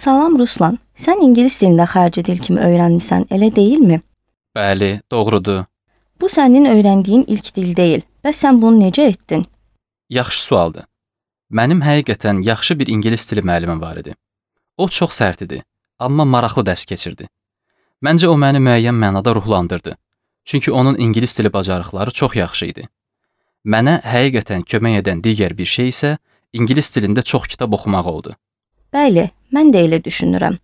Salam Ruslan, sən ingilis dilində xarici dil kimi öyrənmisən, elə deyilmi? Bəli, doğrudur. Bu sənin öyrəndiyin ilk dil deyil. Bəs sən bunu necə etdin? Yaxşı sualdır. Mənim həqiqətən yaxşı bir ingilis dili müəllimim var idi. O çox sərt idi, amma maraqlı dərs keçirdi. Məncə o məni müəyyən mənada ruhlandırdı. Çünki onun ingilis dili bacarıqları çox yaxşı idi. Mənə həqiqətən kömək edən digər bir şey isə ingilis dilində çox kitab oxumaq oldu. Bəli, mən də elə düşünürəm.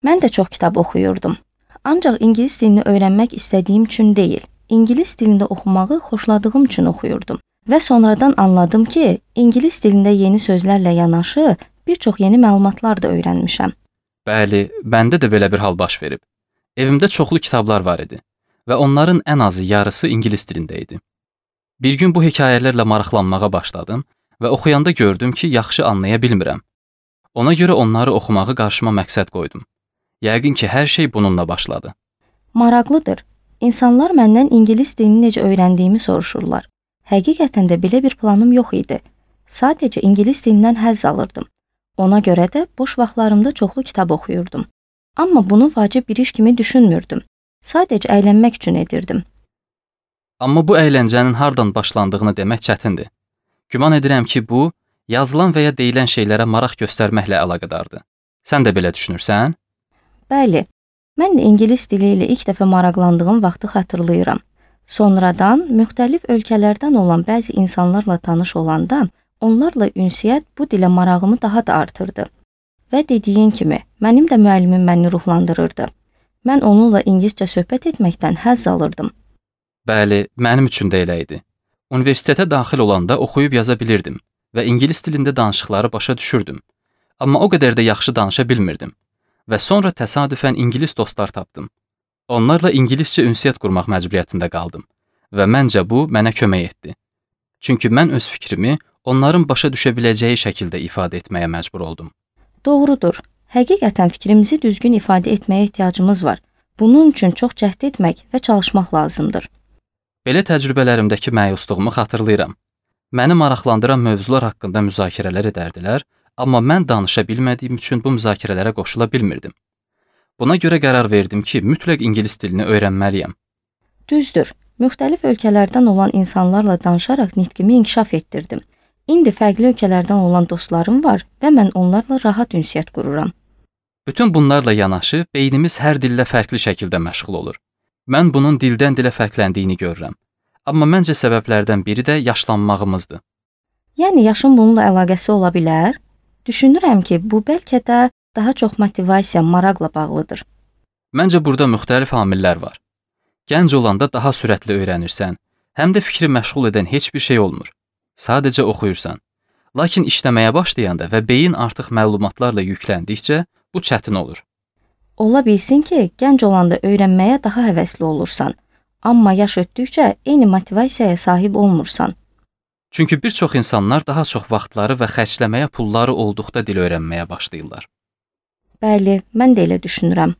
Mən də çox kitab oxuyurdum. Ancaq ingilis dilini öyrənmək istədiyim üçün deyil, ingilis dilində oxumağı xoşladığım üçün oxuyurdum. Və sonradan anladım ki, ingilis dilində yeni sözlərlə yanaşı bir çox yeni məlumatlar da öyrənmişəm. Bəli, məndə də belə bir hal baş verib. Evimdə çoxlu kitablar var idi və onların ən azı yarısı ingilis dilində idi. Bir gün bu hekayələrlə maraqlanmağa başladım və oxuyanda gördüm ki, yaxşı anlaya bilmirəm. Ona görə onları oxumağı qarşıma məqsəd qoydum. Yəqin ki, hər şey bununla başladı. Maraqlıdır. İnsanlar məndən ingilis dilini necə öyrəndiyimi soruşurlar. Həqiqətən də belə bir planım yox idi. Sadəcə ingilis dilindən həzz alırdım. Ona görə də boş vaxtlarımda çoxlu kitab oxuyurdum. Amma bunu vacib bir iş kimi düşünmürdüm. Sadəcə əylənmək üçün edirdim. Amma bu əyləncənin hardan başlandığını demək çətindir. Güman edirəm ki, bu, yazılan və ya deyilən şeylərə maraq göstərməklə əlaqədardır. Sən də belə düşünürsən? Bəli, mən də ingilis dili ilə ilk dəfə maraqlandığım vaxtı xatırlayıram. Sonradan müxtəlif ölkələrdən olan bəzi insanlarla tanış olanda, onlarla ünsiyyət bu dilə marağımı daha da artırdı. Və dediyin kimi, mənim də müəllimim məni ruhlandırırdı. Mən onunla ingiliscə söhbət etməkdən həzz alırdım. Bəli, mənim üçün də elə idi. Universitetə daxil olanda oxuyub yaza bilirdim və ingilis dilində danışıqları başa düşürdüm. Amma o qədər də yaxşı danışa bilmirdim. Və sonra təsadüfən ingilis dostlar tapdım. Onlarla ingiliscə ünsiyyət qurmaq məcburiyyətində qaldım və məncə bu mənə kömək etdi. Çünki mən öz fikrimi onların başa düşə biləcəyi şəkildə ifadə etməyə məcbur oldum. Doğrudur. Həqiqətən fikrimizi düzgün ifadə etməyə ehtiyacımız var. Bunun üçün çox cəhd etmək və çalışmaq lazımdır. Belə təcrübələrimdəki məyusluğumu xatırlayıram. Məni maraqlandıran mövzular haqqında müzakirələr edərdilər, amma mən danışa bilmədiyim üçün bu müzakirələrə qoşula bilmirdim. Buna görə qərar verdim ki, mütləq ingilis dilini öyrənməliyəm. Düzdür. Müxtəlif ölkələrdən olan insanlarla danışaraq nitqimi inkişaf etdirdim. İndi fərqli ölkələrdən olan dostlarım var və mən onlarla rahat ünsiyyət qururam. Bütün bunlarla yanaşı, beynimiz hər dillə fərqli şəkildə məşğul olur. Mən bunun dildən dilə fərqləndiyini görürəm. Amma məncə səbəblərdən biri də yaşlanmağımızdır. Yəni yaşın bununla əlaqəsi ola bilər? Düşünürəm ki, bu bəlkə də daha çox motivasiya, maraqla bağlıdır. Məncə burada müxtəlif amillər var. Gənc olanda daha sürətli öyrənirsən, həm də fikri məşğul edən heç bir şey olmur. Sadəcə oxuyursan. Lakin işləməyə başlayanda və beyin artıq məlumatlarla yükləndikcə bu çətin olur. Ola bilsin ki, gənc olanda öyrənməyə daha həvəsli olursan, amma yaş ötdükcə eyni motivasiyaya sahib olmursan. Çünki bir çox insanlar daha çox vaxtları və xərcləməyə pulları olduqda dil öyrənməyə başlayırlar. Bəli, mən də elə düşünürəm.